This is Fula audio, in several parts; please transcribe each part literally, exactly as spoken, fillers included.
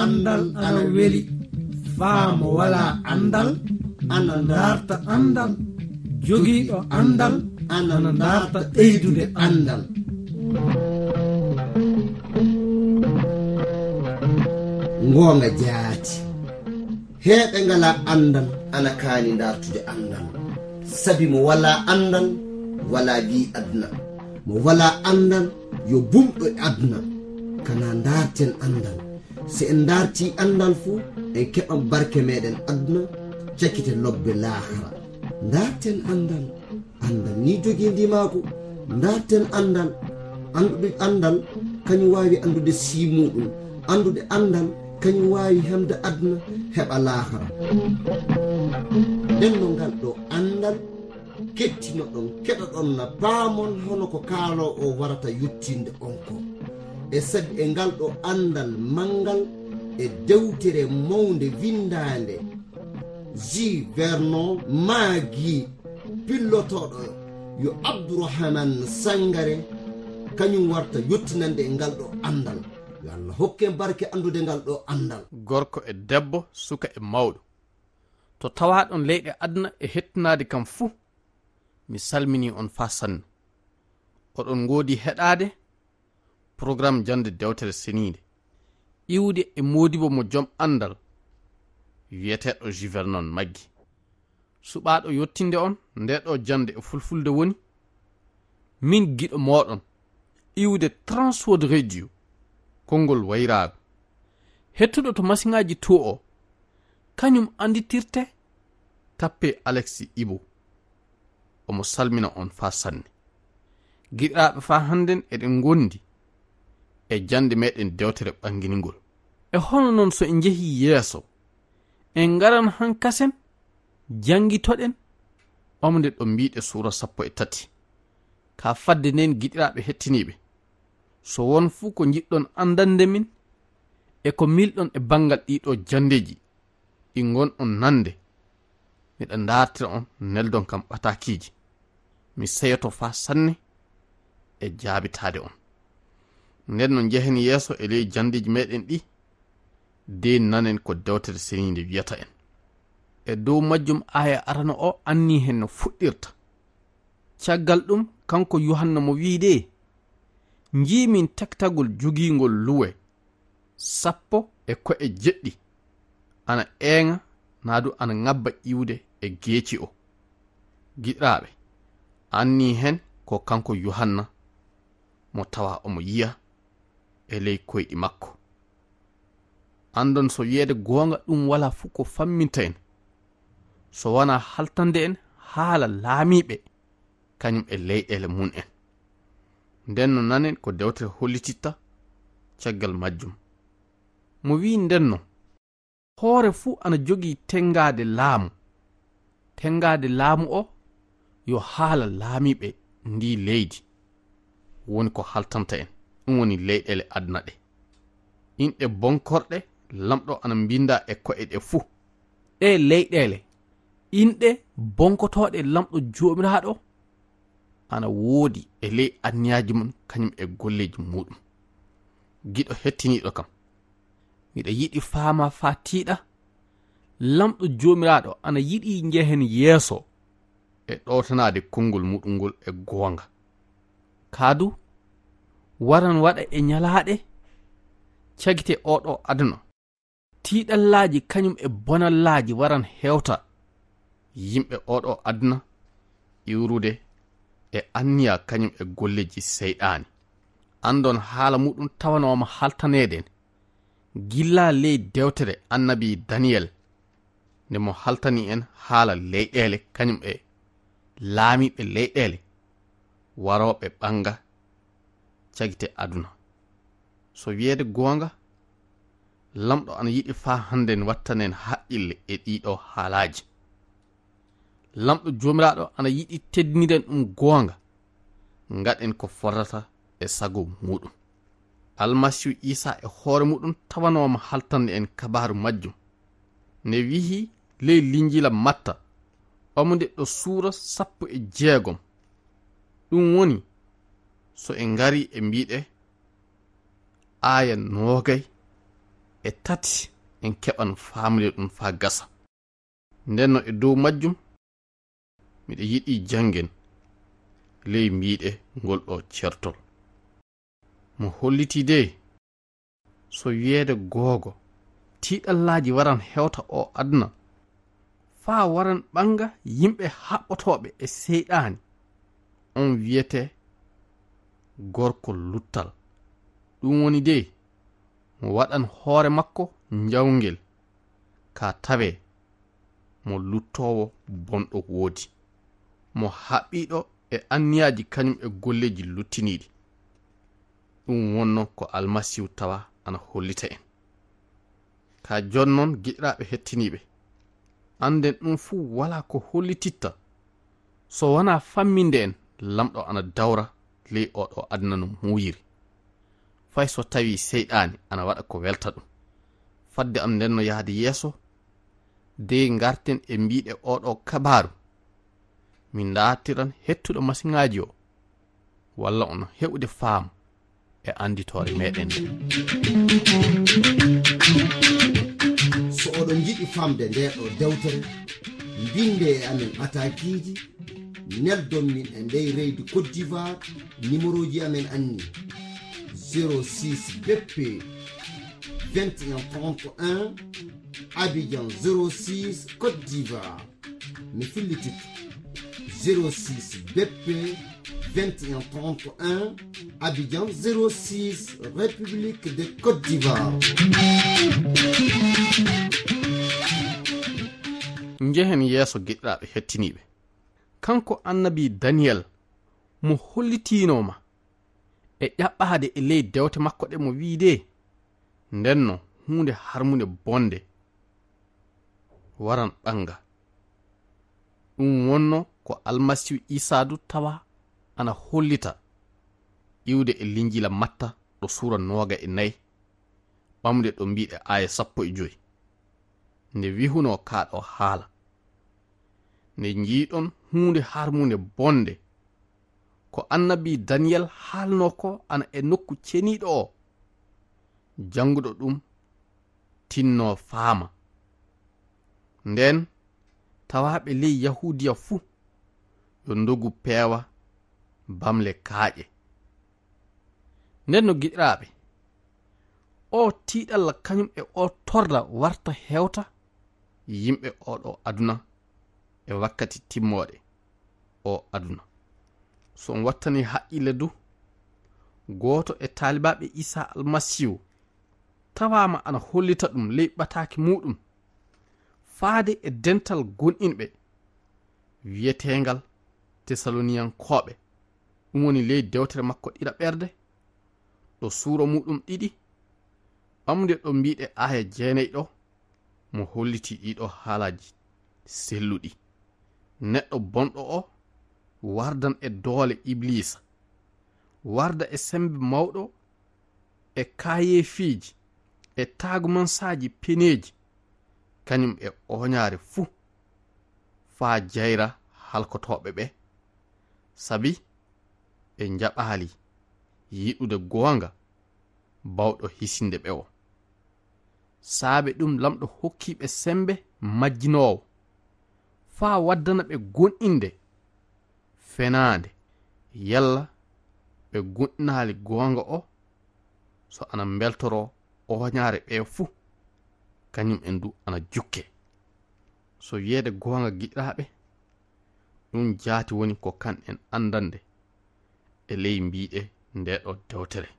Anndal ana weli. Faa mo walaa anndal ana ndaarta anndal. Jogiiɗo anndal ana ndaarta ɓeydude anndal. Ngoonga jaati. Heeɓe ngalaa anndal ana kaani ndaartude anndal. Sabi mo walaa anndal, walaa wi aduna. Mo walaa anndal, yo bumɗo e aduna. Kana ndaarten anndal. Si en ndaartii anndal fu, en keɓan barke meɗen aduna, cakite lobbe laahara. Ndaarten anndal. Anndal ni jogii ndimaagu. Ndaarten anndal. Anndude anndal, kañum waawi anndude sii muuɗum. Anndude anndal, kañum waawi hemde aduna, heɓa laahara. Nden no ngal ɗo anndal, kettinoɗon, keɗoɗon na paamon hono ko kaaloo o warata yottinde on ko. E sabi e ngal ɗo anndal manngal e dewtere mawnde winndaande, J. Vernon Maggi, pillotooɗo yo Abdourahmane Sangare, kañum warta yottinande e ngal ɗo anndal. Yo Allah hokken barke anndude ngal ɗo anndal. Gorko e debbo, suka e mawɗo. To tawaaɗon leyɗe aduna e hettinaade kam fuu, mi salminii on faa sanne. Oɗon ngoodi heɗaade programme jannde dewtere seniinde, iwde e moodibo mo jom anndal, wiyeteeɗo J. Vernon Maggi. Suɓaaɗo yottinde on ndee ɗo jannde e fulfulde woni min giɗo mooɗon, iwde Transworld Radio, konngol wayraago. Hettuɗo to masiŋaaji to o, kañum annditirte, tappe Alexis Ibo. Omo salmina on faa sanne. Giɗiraaɓe, faa hannden eɗen ngondi e jannde meɗen dewtere ɓannginingol. E hono non so en njehii yeeso, en ngaran hankasen, janngitoɗen, omde ɗo mbiɗe suura sappo e tati. Ka fadde nden, giɗiraaɓe hettiniiɓe, so won fuu ko njiɗɗon anndande min, e ko milɗon e banngal ɗiɗo janndeeji, ɗi ngonɗon nande, miɗa ndaartira on, neldon kam ɓataakiiji. Mi seyoto faa sanne e jaabitaade on. Nden no njehen yeeso e ley janndeeji meɗen ɗi, de nanen ko dewtere seniinde wiyata en. E dow majjum, aaya arano o anni hen no fuɗɗirta. Caggal ɗum, kanko Yuhanna mo wiide, njiimin taktagol jogiingol luwe sappo e ko'e jeɗɗi, ana eeŋa, naa du ana ŋabba iwde e geeci o. Giɗiraaɓe, anni hen ko kanko Yuhanna mo tawa omo yiya e ley koyɗi makko. Andon so wiyeede goonga ɗum walaa fuu ko famminta en, so wanaa haltande en haala laamiiɓe, kañum e leyɗeele mum en. Nden no nanen ko dewtere hollititta caggal majjum. Mo wi'i nden no, hoore fuu ana jogii tenngaade laamu. Tenngaade laamu o yo haala laamiiɓe ndii leydi, woni ko haltanta en, ɗum woni leyɗeele aduna ɗe. Inɗe bonkorɗe Lamɗo ana mbinnda e ko'e ɗe fuu. Ɗee leyɗeele, inɗe bonkotooɗe Lamɗo Joomiraaɗo ana woodi e ley anniyaaji mum, kañum e golleeji muuɗum. Giɗo hettiniiɗo kam, miɗa yiɗi faamaa faa tiiɗa, Lamɗo Joomiraaɗo ana yiɗi njehen yeeso e ɗowtanaade konngol muɗum ngol e goonga. Kaa du, waran waɗa e ñalaaɗe cagite oo ɗoo aduna. Tiiɗallaaji kañum e bonallaaji waran hewta yimɓe oo ɗoo aduna, iwrude e anniya kañum e golleeji seyɗaani. Andon haala muɗum tawanooma haltaneede en gilla ley dewtere annabi Daniyel, nde mo haltani en haala leyɗeele kañum e laamiiɓe leyɗeele warooɓe ɓannga cagite aduna. So wiyeede goonga, Lamɗo ana yiɗi faa hannden wattanen haqqille e ɗiɗo haalaaji. Lamɗo Joomiraaɗo ana yiɗi teddiniren ɗum goonga, ngaɗen ko fotata e sago muɗum. Almasiihu Iisaa e hoore muɗum tawanooma haltande en kabaaru majjum. Ne wi'i ley Linjiila Matta, omo nde ɗo suura sappo e jeegom. Ɗum woni, so en ngari e mbiɗe aaya noogay, e tati en keɓan faamde ɗum faa gasa. Nden no e dow majjum, miɗo yiɗi janngen ley mbiiɗe ngol ɗo certol. Mo hollitii de, so wiyeede googo, tiiɗallaaji waran hewta o aduna, faa waran ɓannga yimɓe haɓɓotooɓe e seyɗaani, on wiyetee gorko luttal. Ɗum woni de, mo waɗan hoore makko njawngel, ka tawee mo luttoowo bonɗo woodi, mo haɓɓiiɗo e anniyaaji kañum e golleeji luttiniiɗi. Ɗum wonno ko Almasiihu tawa ana hollita en. Ka jon non, giɗiraaɓe hettiniiɓe, annden ɗum fuu walaa ko hollititta so wanaa famminde en Lamɗo ana dawra ley oo ɗoo aduna no muuyiri. Fay so tawii seyɗaani ana waɗa ko welta ɗum. Fadde am nden no yahde yeeso, dey ngarten e mbiiɗe oo ɗoo kabaaru. Min ndaartiran hettuɗo masiŋaaji o, walla on heɓude faamu e annditoore meɗen nde. So oɗon njiɗi famde nde ɗo dewtere, mbinde e amen atakiiji, neldon min e ndey reydi Côte d'Ivoire, numéroji amen anni: zéro six B P vingt et un trente et un, Abidjan zéro six, Côte d'Ivoire. Mi fillitito: zéro six B P vingt et un trente et un, Abidjan zéro six, République de Côte d'Ivoire. Njehen yeeso, giɗiraaɓe hettiniiɓe. Kanko annabi Daniyel mo hollitiinoo ma e ƴaɓɓaade e ley dewte makko ɗe mo wiide, ndenno huunde harmunde bonde waran ɓannga. Ɗum wonno ko Almasiihu Iisaa du tawa ana hollita iwde e Linjiila Matta ɗo suura nooga e nayi, ɓamde ɗo mbiiɗe aaya sappo e joy. Nde wihunoo kaa ɗoo haala, nde njiiɗon huunde harmunde bonde, ko annabi Daniyel haalnoo ko ana e nokku ceniiɗo o, jannguɗo ɗum tinnoo faama. Nden, tawaaɓe ley Yahuudiya fuu yo ndogu peewa bamle kaaƴe. Nden no giɗiraaɓe, oo tiiɗalla kañum e oo torra warta hewta yimɓe oo ɗoo aduna e wakkati timmooɗe oo aduna. So on wattanii haqqille du, gooto e taalibaaɓe Iisaa Almasiihu tawaama ana hollita ɗum ley ɓataaki muuɗum, faade e dental gonɗinɓe wiyeteengal Tesaloniyankooɓe, ɗum woni ley dewtere makko ɗiɗaɓerde, ɗo suura muuɗum ɗiɗi, ɓamde ɗo mbiiɗe aaya jeenay ɗo, mo hollitii ɗii ɗoo haalaaji selluɗi. Neɗɗo bonɗo o wardan e doole Ibliisa, warda e semmbe mawɗo, e kaayeefiiji, e taagumansaaji peneeji, kañum e ooñaare fuu, faa jayra halkotooɓe ɓe, sabi ɓe njaɓaali yiɗude goonga baawɗo hisinde ɓe o. Saabe ɗum Lamɗo hokkii ɓe semmbe majjinoowo, faa waddana ɓe gonɗinde fenaande, yalla ɓe gonɗinaali goonga o, so ana mbeltoroo ooñaare ɓe fuu, kañum en du ana jukke. So wiyeede goonga, giɗiraaɓe, ɗum jaati woni ko kanɗen anndande e ley mbiiɗe ndee ɗoo dewtere.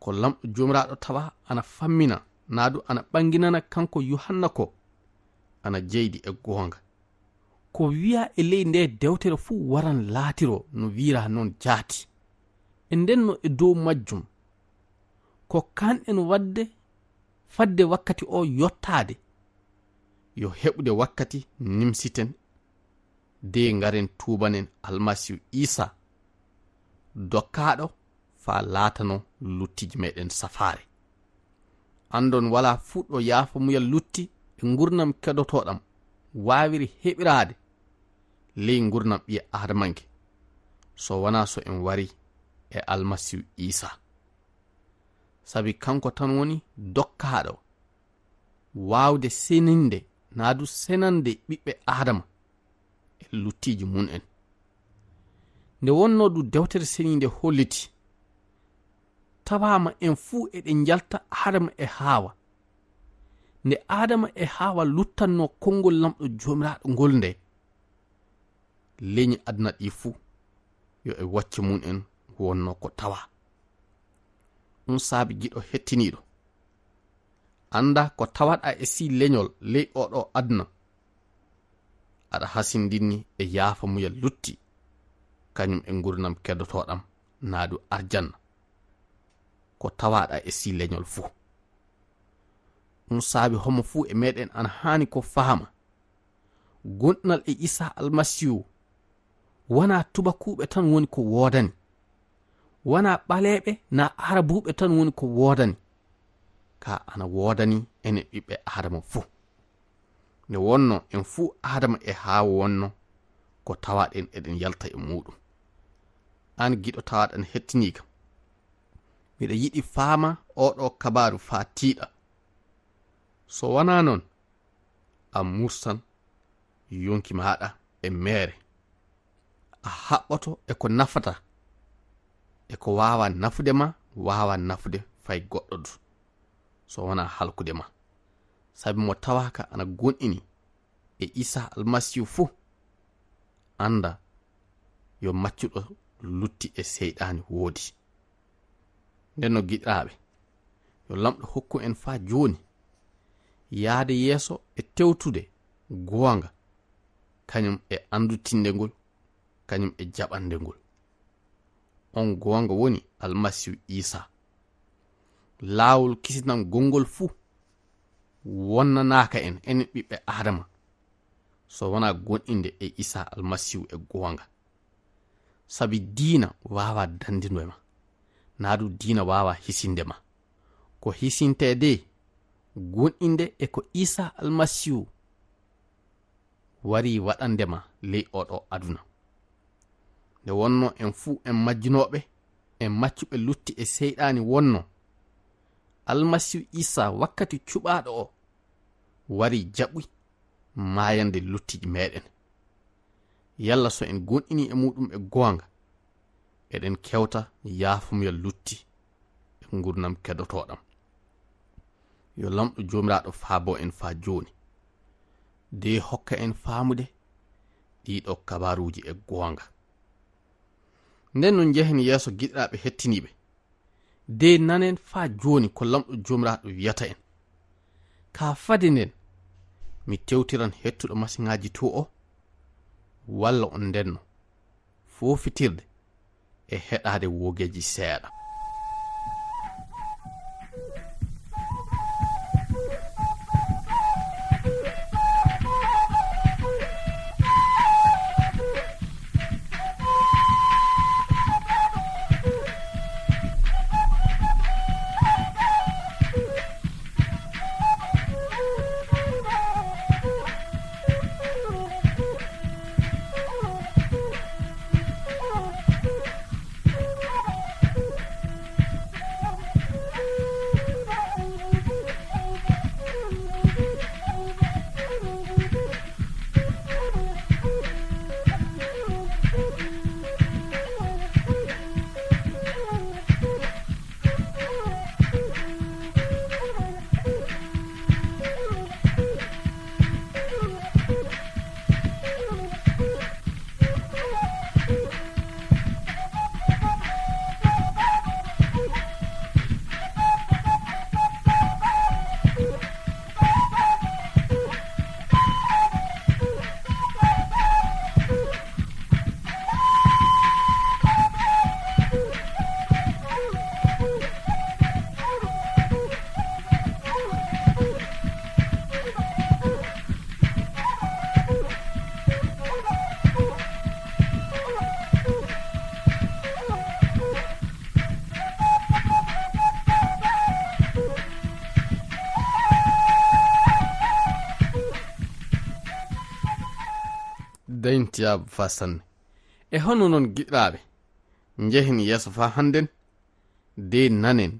Ko Lamɗo Joomiraaɗo tawa ana fammina, naa du ana ɓannginana kanko Yuhanna ko ana jeydi e goonga. Ko wiyaa e ley ndee dewtere fuu waran laatiroo no wiiraa noon jaati. E nden no e dow majjum, ko kanɗen waɗde fadde wakkati o yottaade, yo heɓude wakkati nimsiten de ngaren tuubanen Almasiihu Iisaa, dokkaaɗo faa laatanoo luttiji meɗen safaare. Anndon walaa fuu ɗo yaafamuyal lutti e ngurnam kedotoɗam waawiri heɓiraade ley ngurnam ɓii aadamanke, so wanaa so en wari e Almasiihu Iisaa. Sabi kanko tan woni dokkaaɗo waawde seninde naa du senande ɓiɓɓe Aadama e luttiiji mum en. Nde wonnoo du Dewtere Seniinde holliti, tawaama en fuu eɗen njalta Aadama e Haawa. Nde Aadama e Haawa luttannoo konngol Laamɗo Joomiraaɗo ngol nde, leñi aduna ɗi fuu yo e wacce mum en wonnoo ko tawa. Ɗum saabi giɗo hettiniiɗo, annda ko tawaɗaa e sii leñol ley oo ɗoo aduna, aɗa hasindinni e yaafamuyal lutti, kañum e ngurnam keddotooɗam naa du arjanna. Ko tawaɗaa e sii leñol fuu. Ɗum saabi homo fuu e meɗen ana haani ko fahama. Gonɗinal e Iisaa Almasiihu, wanaa tubakuuɓe tan woni ko woodani. Wanaa ɓaleeɓe naa aarabuuɓe tan woni ko woodani. Kaa ana woodani enen ɓiɓɓe Aadama fuu. Nde wonnoo en fuu Aadama e Haawa wonnoo ko tawaɗen eɗen yalta e muuɗum. Aan giɗo tawaɗan hettiniiga, miɗa yiɗi faama oo ɗoo kabaaru faa tiiɗa. So wanaa noon, a mursan yonki maaɗa e meere. A haɓɓoto e ko nafata, e ko waawaa nafude ma, waawaa nafude fay goɗɗo du, so wanaa halkude ma. Sabi mo tawaaka ana gonɗini e Iisaa Almasiihu fuu, annda yo maccuɗo lutti e seyɗaani woodi. Nden no giɗiraaɓe, yo Laamɗo hokku en faa jooni yaade yeeso e tewtude goonga, kañum e anndutinde ngol, kañum e jaɓande ngol. On goonga woni Almasiihu Iisaa. Laawol kisinam gonngol fuu wonnanaaka en, enen ɓiɓɓe Aadama, so wanaa gonɗinde e Iisaa Almasiihu e goonga. Sabi diina waawaa dandinde ma, naa du diina waawaa hisinde ma. Ko hisintee de, gonɗinde e ko Iisaa Almasiihu wari waɗande ma ley oo ɗoo aduna. Nde wonnoo en fuu en majjunooɓe, en maccuɓe lutti e seyɗaani wonnoo, Almasiihu Iisaa wakkati cuɓaaɗo o wari jaɓi maayande luttiiji meɗen. Yalla so en gonɗini e muuɗum e goonga, eɗen kewta yaafamuyal lutti e ngurnam keddotooɗam. Yo Laamɗo Joomiraaɗo faabo en faa jooni, de hokka en faamude ɗii ɗoo kabaaruuji e goonga. Nden no njehen yeeso giɗiraaɓe hettiniiɓe, de nanen faa jooni ko Laamɗo Joomiraaɗo wiyata en. Kaa fade nden, mi tewtiran hettuɗo masiŋaaji to o, walla on ndenno foofitirde e heɗaade woogeeji seeɗa. Dañtiyaabu faa sanne. E hono noon, giɗiraaɓe, njehen yeeso faa hannden, de nanen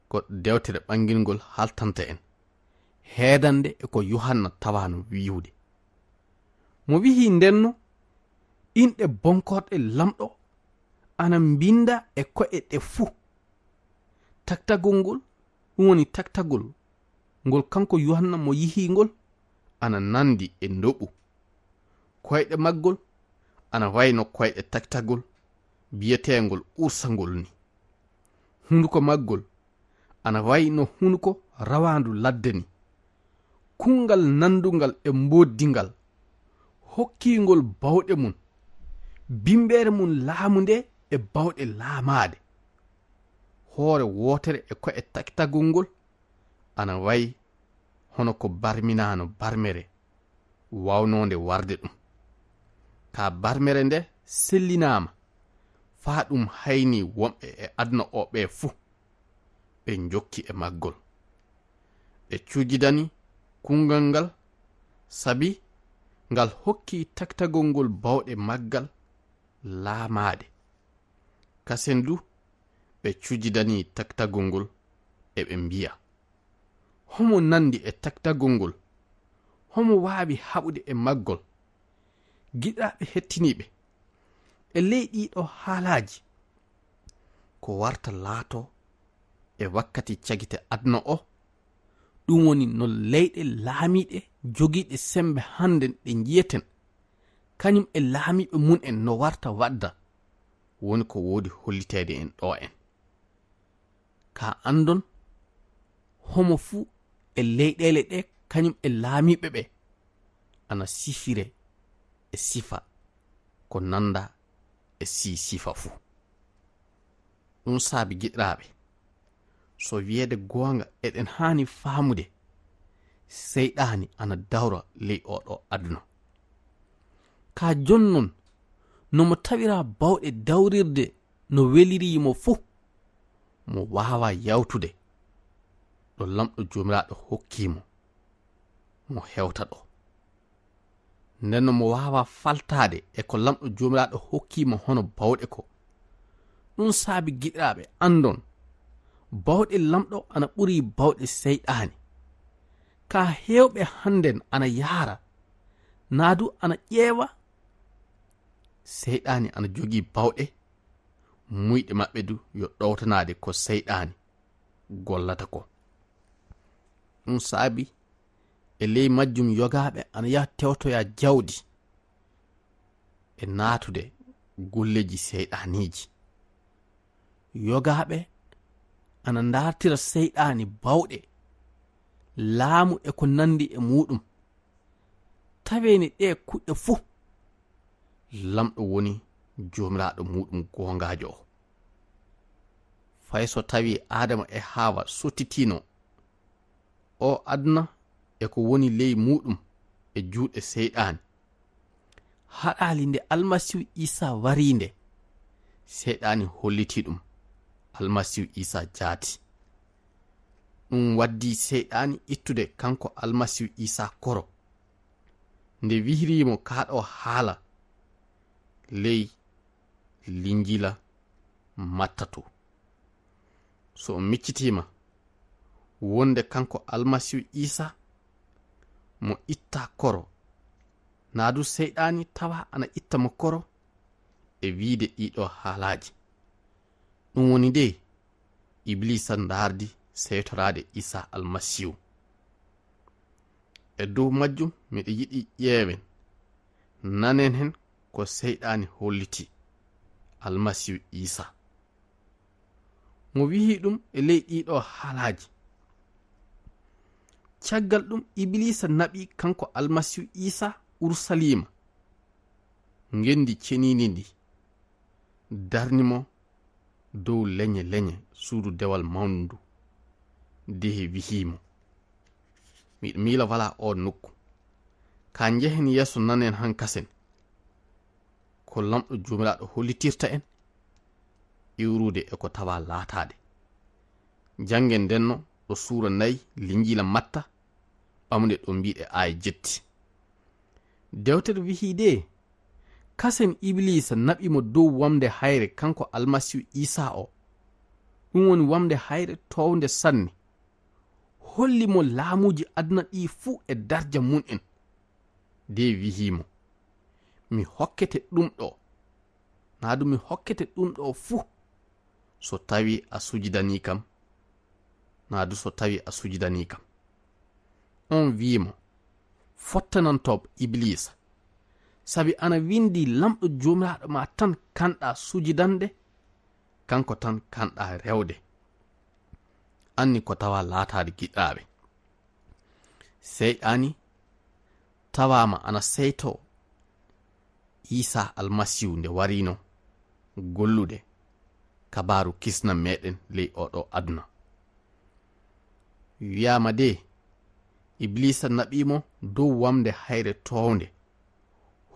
ko dewtere ɓangingol haltanta en, heedande e ko Yuhanna tawaano wi'ude. Mo wi'i ndenno, inɗe bonkorɗe Lamɗo ana mbinda e ko'e ɗe fuu. Taktagol ngol, ɗum woni taktagol ngol kanko Yuhanna mo yi'i ngol, ana nandi e ndoɓu. Koyɗe maggol ana wayno koyɗe taktagol biyeteengol ursangol ni. Hunduko maggol ana wayno hunduko rawaandu ladde ni. Kunngal nandungal e mboddingal hokkingol bawɗe mum, bimbeere mum laamu nde e bawɗe laamaade. Hoore wootere e ko'e taktagol ngol ana wayi hono ko barminaano barmere waawnoonde warde ɗum. Ka barmere nde sellinaama, faa ɗum hayni wonɓe e aduna o ɓe fuu, ɓe njokki e maggol. Ɓe cujidani kunngal ngal, sabi ngal hokki taktagol ngol bawɗe maggal laamaade. Kasen du, ɓe cujidani taktagol ngol, eɓe mbi'a, "Homo nandi e taktagol ngol? Homo waawi haɓude e maggol?" Giɗaaɓe hettiniiɓe, e ley ɗiɗo haalaaji, ko warta laato e wakkati cagite aduna o, ɗum woni no leyɗe laamiiɗe jogiiɗe sembe hannden ɗe njiyeten, kañum e laamiiɓe mum en no warta wadda, woni ko woodi holliteede en ɗo en. Ka anndon, homo fuu e leyɗeele ɗe kañum e laamiiɓe ɓe ana sifire e sifa ko nanda e sii sifa fuu. Ɗum saabi giɗiraaɓe, so wiyeede goonga eɗen haani faamude, seyɗaani ana dawra ley oo ɗoo aduna. Ka jonnon, no mo tawira bawɗe dawrirde no weliri mo fuu, mo waawaa yawtude ɗo Lamɗo Joomiraaɗo hokki mo, mo hewta ɗo. Nden no mo waawaa faltaade e ko Lamɗo Joomiraaɗo hokki mo hono bawɗe ko. Ɗum saabi giɗiraaɓe anndon, bawɗe Lamɗo ana ɓuri bawɗe seyɗaani. Ka heewɓe hannden ana yaara, naa du ana ƴeewa, seyɗaani ana jogii bawɗe, muyɗe maɓɓe du yo ɗowtanaade ko seyɗaani gollata ko. Ɗum saabi e ley majjum yogaaɓe ana yaha tewtoya jawdi e naatude golleeji seyɗaaniiji. Yogaaɓe ana ndaartira seyɗaani bawɗe, laamu e ko nandi e muuɗum. Taweene ɗee kuɗɗe fuu, Lamɗo woni Joomiraaɗo muuɗum goongaajo o. Fay so tawii Aadama e Haawa sottitiino o aduna e ko woni ley muuɗum e juuɗe seyɗaani, haɗaali nde Almasiihu Iisaa warii nde, seyɗaani hollitii ɗum Almasiihu Iisaa jaati. Ɗum waddii seyɗaani ittude kanko Almasiihu Iisaa koro, nde wihrii mo kaa ɗoo haala ley Linjiila Matta to. So o miccitiima wonde kanko Almasiihu Iisaa mo ittaa koro, naa du seyɗaani tawa ana itta mo koro e wiide ɗiɗo haalaaji. Ɗum woni nde Ibliisa ndaardi seytoraade Iisaa Almasiihu. E dow majjum miɗo yiɗi ƴeewen, nanen hen ko seyɗaani holliti Almasiihu Iisaa. Mo wi'i ɗum e ley ɗiɗo haalaaji. Caggal ɗum Ibliisa naɓi kanko Almasiihu Iisaa Urusaliima, ngenndi ceniindi ndi, darni mo dow leñe leñe suudu dewal mawndu ndu, de wi'i mo, "Miɗo miila walaa oo nokku. Ka njehen yeeso nanen hankasen ko Lamɗo Joomiraaɗo hollitirta en iwrude e ko tawa laataade." Janngen ndenno ɗo suura nayi Linjiila Matta, ɓamude ɗo mbiɗe aaya jetti. Dewtere wi'i de, kasen Ibliisa naɓi mo dow wamnde hayre kanko Almasiihu Iisaa o, Ɗum woni wamde hayre toownde sanne. Holli mo laamuuji aduna ɗii fuu e darja mum en. De wi'i mo, "Mi hokkete ɗum ɗo. Naa du mi hokkete ɗum ɗo fuu, so tawi a sujidanii kam, naa du so tawi a sujidanii kam." On wi'i mo, "Fottanantooɓe Ibiliisa, sabi ana winndi, 'Laamɗo Joomiraaɗo maa tan kanɗaa sujidande, kanko tan kanɗaa rewde.'" Anni ko tawa laataade giɗaaɓe. Seyɗaani tawaama ana seytoo Iisaa Almasiihu nde wariino gollude kabaaru kisna meɗen ley oo ɗoo aduna. Wiyaama de, Ibiliisa naɓii mo dow wamnde hayre toownde,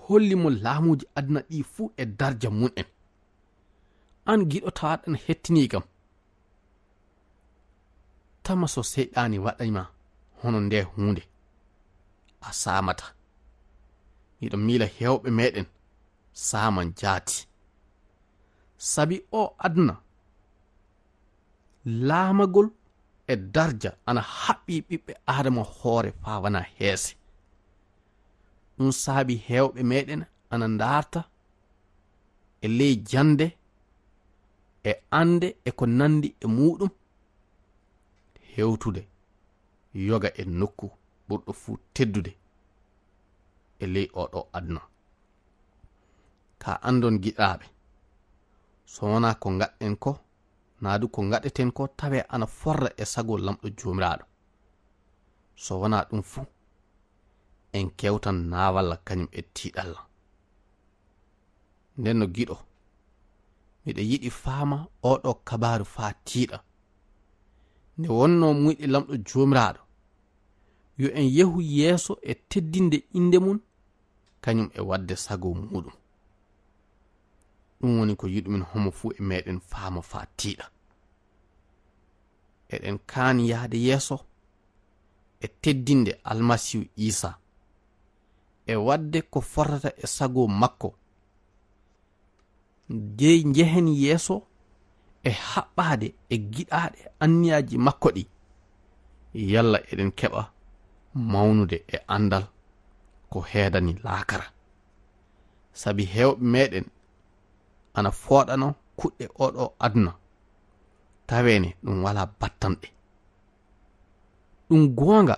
holli mo laamuuji aduna ɗii fuu e darja mum en. Aan giɗo tawaaɗo ana hettinii kam, tama so Seyɗaani waɗay ma hono ndee huunde, a saamataa. Miɗo miila heewɓe meɗen saaman jaati. Sabi oo aduna, laamagol e darja ana haɓɓii ɓiɓɓe Aadama hoore faa wanaa heese. Ɗum saabi heewɓe meɗen ana ndaarta e ley jannde, e annde, e ko nanndi e muuɗum, hewtude yoga e nokku ɓurɗo fuu teddude e ley oo ɗoo aduna. Ka anndon, giɗaaɓe, so wonaa ko ngaɗɗen ko, naa du ko ngaɗeten ko, tawee ana forra e sago Laamɗo Joomiraaɗo. So wonaa ɗum fuu, en kewtan naawalla kañum e tiiɗalla. Nden no giɗo, miɗo yiɗi faama oo ɗoo kabaaru faa tiiɗa. Nde wonnoo muyɗe Laamɗo Joomiraaɗo, yo en yehu yeeso e teddinde innde mum, kañum e waɗde sago muuɗum. Ɗum woni ko yiɗumin homo fuu e meɗen faama faa tiiɗa. Eɗen kaani yahde yeeso e teddinde Almasiihu Iisaa, e waɗde ko fotata e sago makko. Dey njehen yeeso e haɓɓaade e giɗaaɗe anniyaaji makko ɗi, yalla eɗen keɓa mawnude e anndal ko heedani laakara. Sabi heewɓe meɗen ana fooɗano kuɗɗe oo ɗoo aduna, taweene ɗum walaa battanɗe. Ɗum goonga,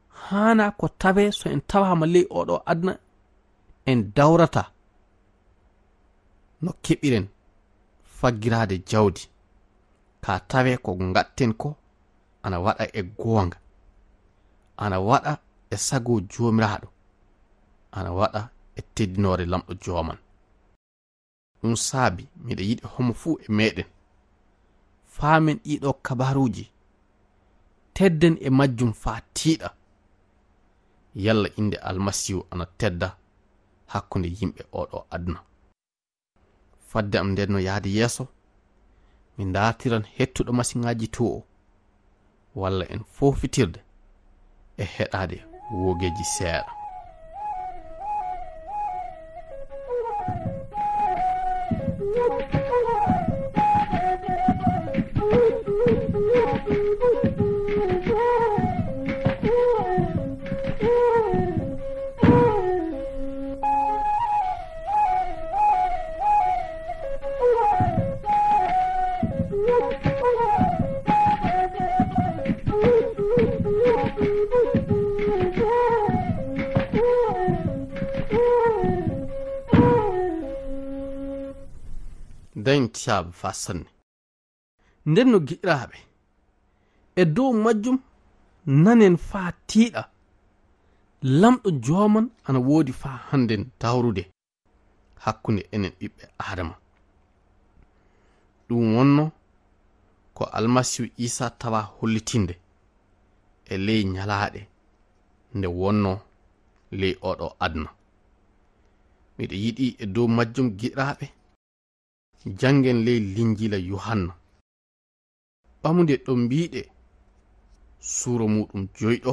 haanaa ko tawee so en tawaama ley oo ɗoo aduna, en dawrata no keɓiren faggiraade jawdi, ka tawee ko ngaɗten ko ana waɗa e goonga, ana waɗa e sago Joomiraaɗo, ana waɗa e teddinoore Laamɗo Jooman. Ɗum saabi miɗo yiɗi homo fuu e meɗen faamen ɗii ɗoo kabaaruuji, tedden e majjum faa tiiɗa, yalla innde Almasiihu ana tedda hakkunde yimɓe oo ɗoo aduna. Fadde am nden no yahde yeeso, mi ndaartiran hettuɗo masiŋaaji too o, walla en foofitirde e heɗaade woogeeji seeɗa. Dañ tiyaaba faa sanne. Nden no giɗiraaɓe, e dow majjum nanen faa tiiɗa. Lamɗo jooman ana woodi faa hannden dawrude hakkunde enen ɓiɓɓe Aadama. Ɗum wonno ko Almasiihu Iisaa tawa hollitinde e ley ñalaaɗe nde wonno ley oɗo aduna. Miɗo yiɗi e dow majjum, giɗiraaɓe, janngen ley Linjiila Yuhanna. Ɓamude ɗo mbiiɗe suura muuɗum joyɗo,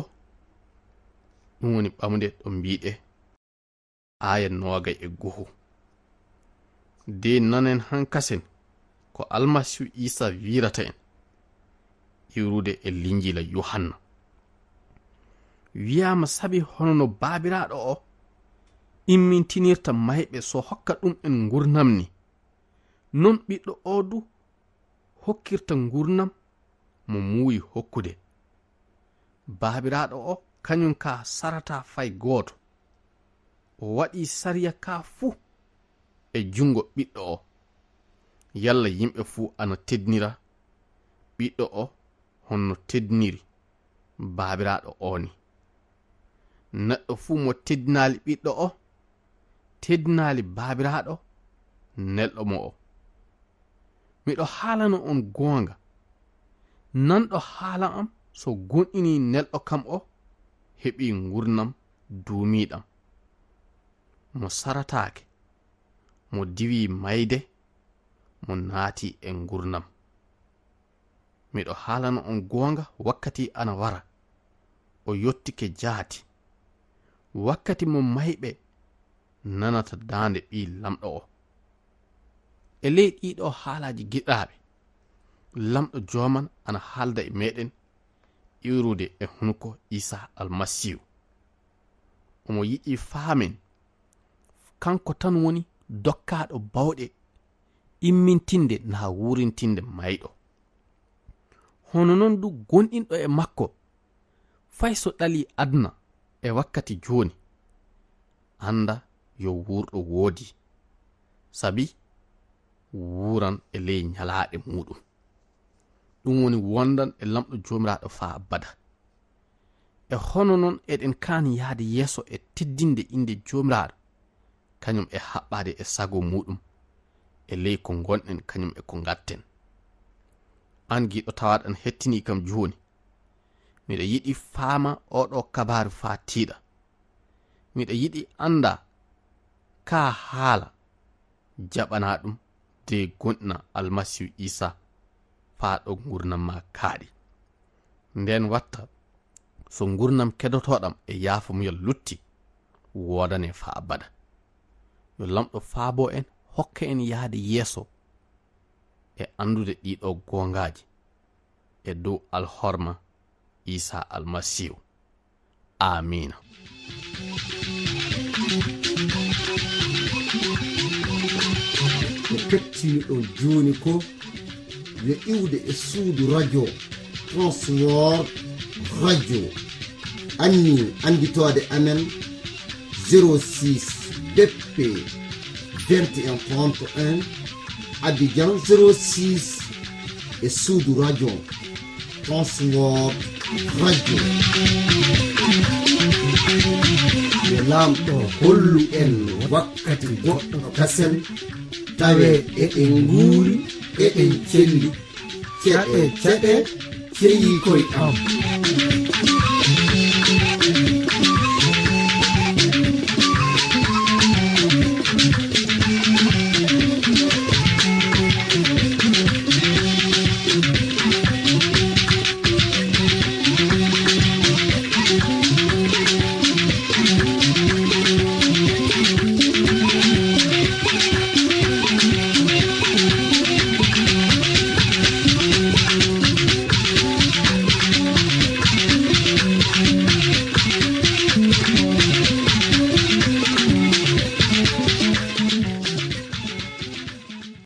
ɗum woni ɓamude ɗo mbiiɗe aaya noogay e goho. De nanen hankasen ko Almasiihu Iisaa wiirata en, iwrude e Linjiila Yuhanna. Wiyaama sabi hono no Baabiraaɗo o immintinirta mayɓe so hokka ɗum en ngurnam ni, non Ɓiɗɗo o du hokkirta ngurnam mo muuyi hokkude. Baabiraaɗo o kañum ka sarata fay gooto. O waɗi sariya ka fuu e junngo Ɓiɗɗo o. Yalla yimɓe fuu ana teddinira Ɓiɗɗo o honno teddiniri Baabiraaɗo o ni. Neɗɗo fuu mo teddinaali Ɓiɗɗo o, teddinaali Baabiraaɗo nelɗo mo o. Miɗo haalana on goonga, nanɗo haala am, so gomɗinii nelɗo kam o, heɓii ngurnam duumiiɗam. Mo sarataake, mo diwii mayde, mo naati e ngurnam. Miɗo haalana on goonga, wakkati ana wara, o yottike jaati, wakkati mo mayɓe nanata daande Ɓii Lamɗo o. E ley ɗiɗo haalaaji giɗaaɓe, Lamɗo Jooman ana haalda e meɗen iwrude e hunuko Iisaa Almasiihu. Omo yiɗi faamen, kanko tan woni dokkaaɗo bawɗe immintinde naa wuurintinde mayɗo. Hono non du gonɗinɗo e makko, fay so ɗalii aduna e wakkati jooni, annda yo wuurɗo woodi, sabi wuuran e ley ñalaaɗe muuɗum. Ɗum woni wondan e Lamɗo Joomiraaɗo faa abada. E hono non eɗen kaani yahde yeeso e teddinde innde Joomiraaɗo, kañum e haɓɓaade e sago muuɗum, e ley ko ngonɗen kañum e ko ngatten. Aan giɗo tawaaɗo ana hettinii kam jooni, miɗo yiɗi faama oɗo kabaaru faa tiiɗa. Miɗo yiɗi annda kaa haala jaɓanaa ɗum de gonɗina Almasiihu Iisaa faa ɗo ngurnam maa kaaɗi. Nden watta so ngurnam kedotooɗam e yaafamuyal lutti, woodane faa abada. Yo Lamɗo faabo en, hokka en yahde yeeso e anndude ɗiɗo goongaaji e dow alhorma Iisaa Almasiihu. Aamiina. Ko kettiniɗon jooni ko yo iwde e suudu radio Transworld Radio. Anni annditoode amen zéro six B P vingt et un trente et un, Abidjan zéro six, e suudu radio Transworld Radio. Yo Laamɗo hollu en wakkati goɗɗo kasen, tawe eɗen nguuri, eɗen celli. Ceɗe, ceɗe, ceyi koy am.